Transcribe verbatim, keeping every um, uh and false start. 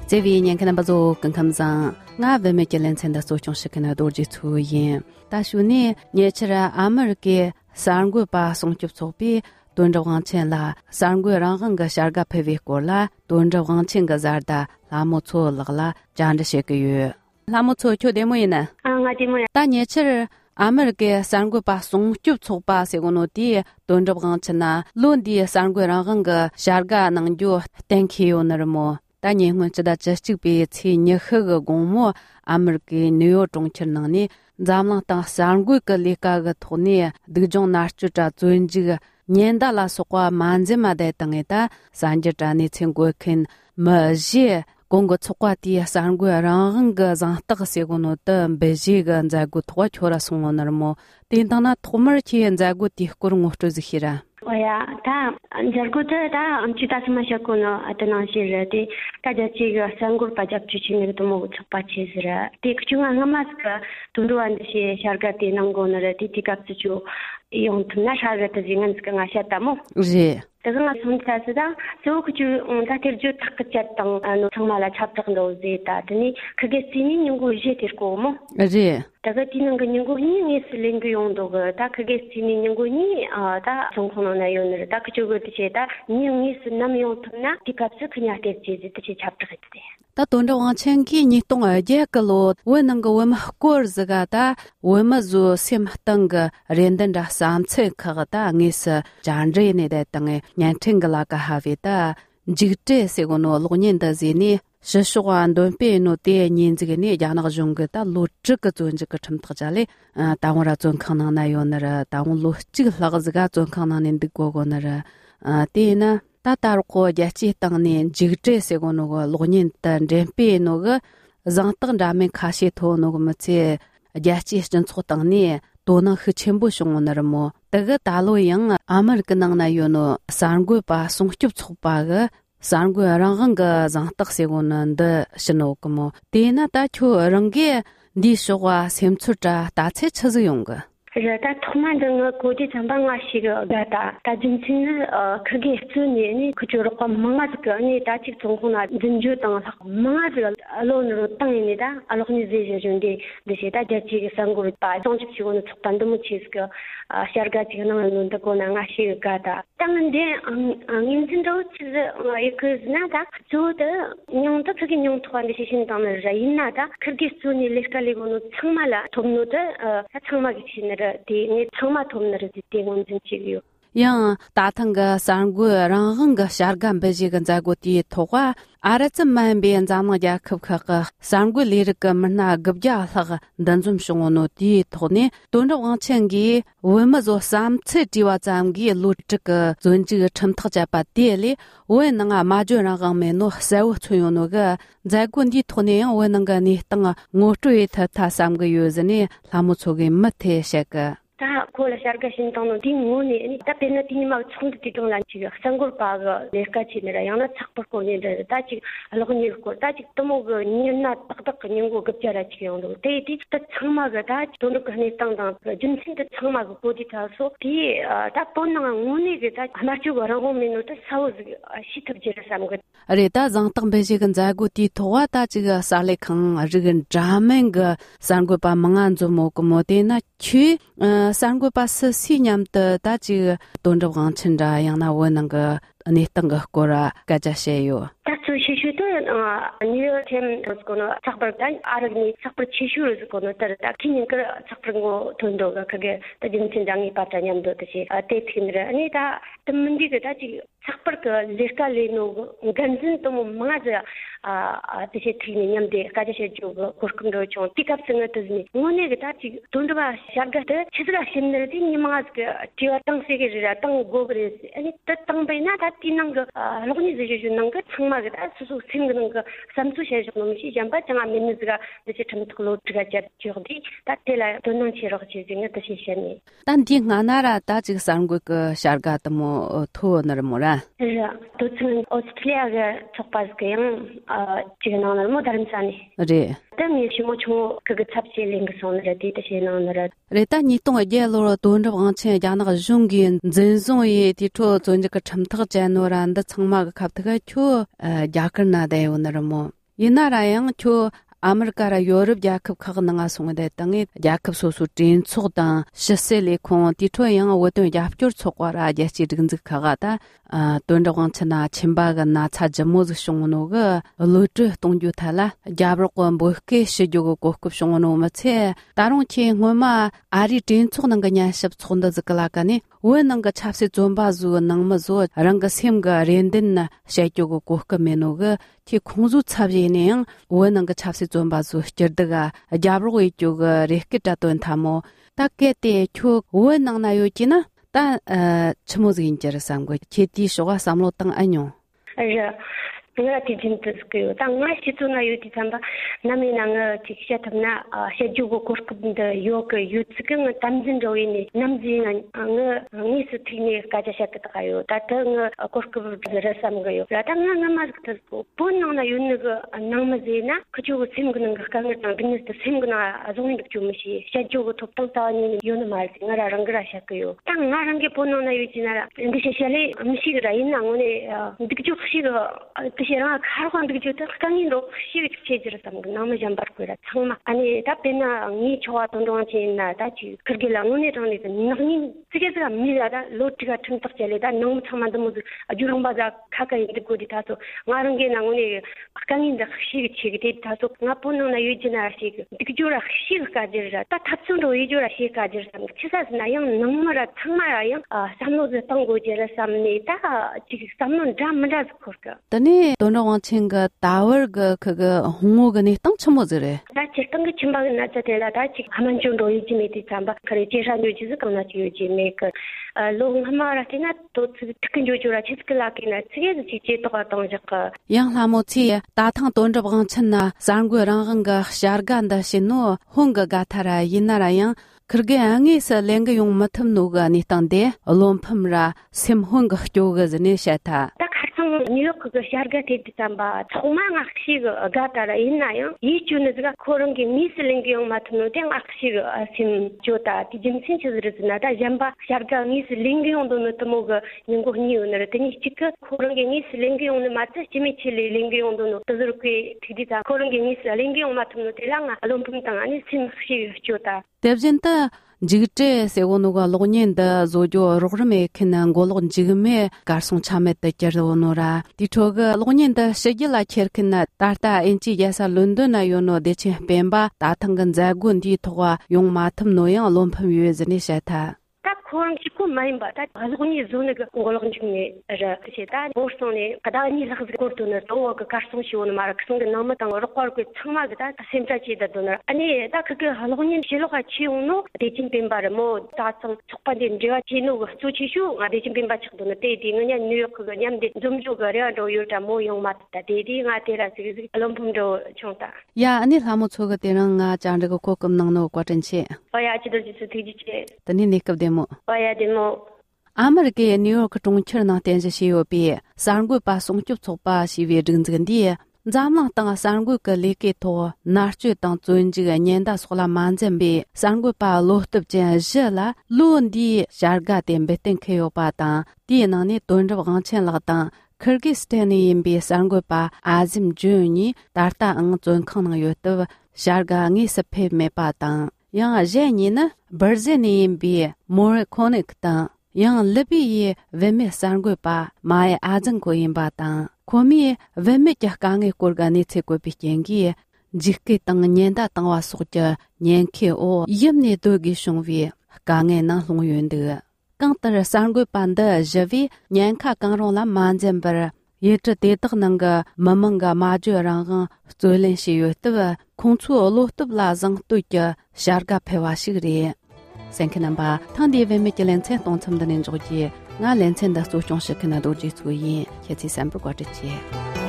这位年看不做更看上，我外面给人参的所种是跟那多去抽烟。大学呢，年轻人阿门给三个把送去作弊，蹲着往前啦，三个让人个下个配备过啦，蹲着往前个咋的，那么错了啦，这样的些个月，那么错就点么呢？啊，我点么？大年轻人。阿门给三个把送就错把些个诺地蹲着往前呐，论的三个让人个下个能就等起有那么。但你们知道这这边去你喝个公母，阿门给女友中起能呢，咱们当三个个里个个头呢，这种拿出这尊这个年到了说话满子嘛的等的，三节站的请过看么些。公个出话的三个让人个让这个些个诺的北京个在个托球了送我那么，等到那托门去在个地个我就是去了。哦呀，他这个的他其他什么些个呢？啊，那些人的大家这个三个把家出去那个都没出发去是了。这个就俺们这个都都按这些下个的能够那个的这个就用他那下个的这个这个俺下达么？是。그래서 손자스다 저그주 다들주 탁쳤던 아노 정말 잡적노지다 더니 그게 신인 연구 이제 될거 뭐 예 다가 뛰는 거 연구니 있을링그 용도가 다 그게 신인 연구니 아다 정권의 연을 다 그쪽으로 제다 니용이 쓰는 용도나 디캅스 그냥 됐지 뜻이 잡적했대 다 돈도 왕천기 니 동아제 걸로 원능거 원마 고르즈가다 원마주 셈땅가 렌던다 삼체 카가다 녜서 잔제네데 땅에 냥팅글라가 하베다 지그테 세고노 로닌다 제니 시슈완 돈페노 데 닌지게니 야나가 종게다 로츠가 존지가 첨터자리 다원라 존칸나나 요너라 다원로 찌글라가즈가 존칸나는 득고고너라 데나 다다르고 야치 땅네 지그테 세고노가 로닌 단 렘페노가 장땅 라멘 카시 토노가 마체 야치 전 땅네 도나 흐첨부 송오너모 다가 달로양 아메리카낭나 요노 산고바 송춥 촉바가 산고 랑강가 장딱 세고는데 신호고모 데나 다초 랑게 니쇼와 셈추자 다체 쳐즈용가 그래다 토만등의 고지 전방화시가 가다 다진치는 어 그게 수년이 그쪽으로 망가지고 아니 다직 정부나 진주 등 망가지고 알론으로 땅입니다. 알로니제이션데 대시다 자치기 상고를 봐 정치치고는 촉반도 못 치스고 샤르가지는 논다 고나가시 가다 땅인데 인진도 치즈 이그즈나다 저도 뇽도 그게 뇽토한데 신당을 있나다 그게 수니 레스칼리고는 정말 돈노도 정말 기신을 디 정말 돈으로 뒤대고 진지요. 양 다탕가 산고 랑흥가 샤르간 베지간 자고티 토과 아라츠만 비엔 자마자 급카가 산고 리르가 만나 급자하가 단좀 송오노 디 토네 돈도 왕첸기 원마조 삼체 디와 잠기 루트가 존지가 첨터자바 디리 원능아 마주랑가 메노 사우 초요노가 자군디 토네 원능가니 땅아 ngotrui tha tha samga yozani lamuchoge mathe shaka 다 콜라 샤르가 신동은 딩문이 다 베나티니 막 총도 뒤동란 지가 상골 바가 내까지라 양나 착벌고니데 다지 알고니고 다지 또뭐그 니나 딱딱 그냥고 급자라 지경도 데이디 다 청마가 다 돈을 그네 땅당 준신데 청마가 고디 타서 디다 본능한 문이게 다 하나씩 거라고 민노도 사우즈 시탑지를 삼고 아레다 장땅 베지근 자고티 토와다 지가 살레캉 아르근 자멘가 산고바 망안조 모고 모데나 취 산고바스 시냠的大几东着往趁着让那我那个你等个过了该这些有 시슈도 어 니르템 그거는 작벌단 아르니 작벌 치슈를 그거는 따르다 기니까 작벌고 돈도가 그게 다진 진장이 빠자냠도 뜻이 아테팀이라 아니다 문제가 다지 작벌 그 레스칼리노 간진 또 뭐마자 아 뜻이 트리니냠데 가지셔 주고 고스금도 좀 픽업승을 뜻이 뭐네가 다지 돈도가 샤가데 치즈라 신들이 니마가 지와 땅세계라 땅 고그레스 아니 땅배나 다 뛰는 거 로그니즈 주는 거 정말 수수 생기는 거 삼수셔 좀 시장바 장아 민즈가 이제 좀 클로트가 잡지어디 다텔라 돈은 치러 지진의 뜻이시니 단디 나나라 다지 상고 그 샤르가도 뭐 토너를 뭐라 예 도츠는 오스트리아가 척바스게요 아 지금 오늘 뭐 다른 산이 네 때문에 시모초 그거 잡실링 손으로 뒤듯이 오늘 레타 니똥 예로로 돈을 왕체 야나가 중긴 전송이 뒤토 존재가 참탁 제노란데 청마가 갑다가 초 야근나대 오늘 뭐 이나라양 초 아메리카라 유럽 야급 카그나가 송데 땅에 야급 소수 진 초당 시셀리 콘 디토양 워던 야프죠 초과라 야치 든즈 카가다 아 돈다광차나 침바가 나 차저모즈 송노가 루트 동주탈라 야브로권 보케 시조고 고급 송노 마체 다롱치 ngoma 아리 진 초는 그냥 십 촌다 zkalakani wenanga chapse zombazu nangmazo ranga semga rendinna shaikyogo gohka menoga ti khongzu chabjene wenanga chapse zombazu jirdaga jabro ikyoga rehkita ton thamo takete kyo wenangna yojina ta chmozgin jerasamgo cheti shoga samlo tang anyo aya nga tijintskeyo tanga situna yuti tamba naminanga tikshyatamna shejugo korkubnda yok yutsking tamjin roini namjin nga ngis tini kajashakatayo tatang korkub rasamgayo tanga ngamazktas ponna yunga namazina kjugo simgna kanga gnis simgna azongin chumshi shejugo toptang tani yunmal ngara rangra shakayo tanga range ponna yutinara ndisheshale amsigra inangone dikju khshiga 시랑 가르관 비교도 강인도 시기 체제라서 너무 잠바르고라 정말 아니 답변나 이 좋아 동동한 지나 다지 그렇게 랑운이라는 너무 지게가 미라다 로트가 튼탁절이다 너무 참만도 뭐 아주랑 바자 가까이 듣고 다서 나는 게 나오니 강인도 시기 체계 다서 나포는 유지나 시기 비교라 시기까지라 다 탑순도 유지라 시기까지라 치사스나 영 너무라 정말아요 아 삼노즈 땅고지라 삼니다 지금 삼노 잠만다 그거 tani donawang chenga tower ga kaga hongo ga ni tang chmozre da chitang ge chimba na cha de la da chi haman chung do yi me ti chamba kare che sha nyu ji ka na chi yu ji me ka lo hamara tina to tkin ju ju ra chi skla ki na chi ge chi che to ga tong ja ka yang la mo chi da thang don zhe bang chen na sang gu rang gang ga shar gan da shin no hong ga ga thara yin na ra yang 그게 angisa lenga yung matam noga ni tangde alom phamra sim hong ga jo ga zne shata 뉴욕 그 샤르가 데이트삼바 정말 악식 가다라 있나요? 이 주는가 그런 게 미슬링경 같은 데 악식 심 조다 디진 신체들으나다 잠바 샤르가 미슬링경도 노트모가 인고 니오너를 되니 치크 그런 게 미슬링경은 맞지 지미칠리 링경도 노트들게 디디다 그런 게 미슬링경 같은 데랑 알롬품당 아니 심식 조다 대진다 jigte segonuga lognenda zojo rograme kenan golgon jigme garson chameta jerwonora ditoga lognenda shegila cherkina tarta enchi yasa london ayono deche bemba datangan zagun di toga yong matam noyang lompam yezene shata 그런 식구 많이 봐. 다 가족이 존에가 공골은 중에 저 그시다 보스톤에 가다니 라그 거도는 또 가르송 시오는 말 그런 게 너무 당 어렵고 정말 다 심자지다 도나 아니 다 그게 할로님 실로가 치우노 대진 빈바를 뭐 다성 촉반된 제가 지노 수치슈 대진 빈바 측도는 대딩은 뉴욕 그거 냠데 좀 조가려도 요다 모용 맞다 대딩아 테라스 알롬품도 총다 야 아니 하모 초가 되는 아 장르고 고금 능노 과전치 어야 지들 지수 뒤지체 tani nekab demo aya demo America New York tongchir na tenje shiyo bi sarngu pa songchup chokpa shiwe dingzgendi zamlang tang sarngu ka leke to narchu tang zunji ga nyenda sola manzen bi sarngu pa lohtub jen jela lundi jarga tembe tenkyo pa ta di na ni donrab gangchen la ta Kyrgyzstan yin bi sarngu pa azim juni darta ang zon khang na yotu jarga ngi sepe me pa ta yang zheni na berzeni bi more connect ta yang lebi ye veme sarngwe pa mai azang ko yin ba ta komi veme ja kang e korgani che ko bi kengi jikke tang nyen da tang wa su ja nyen ke o yim ne do gi shong wi kang e na long yuen de kang tar sarngwe pan da javi nyen kha kang rong la man jen bar ye zhe de de nang ga mamang ga ma zhe rang ga zo len shi yu de kong chu lo de la zang du ja shar ga pe wa shi ri sen ke namba tang de ve me ge len chen dong cham de nen zhu ji nga len chen da su zhong shi ke na do ji zu yin ye ci san bu gua zhi ji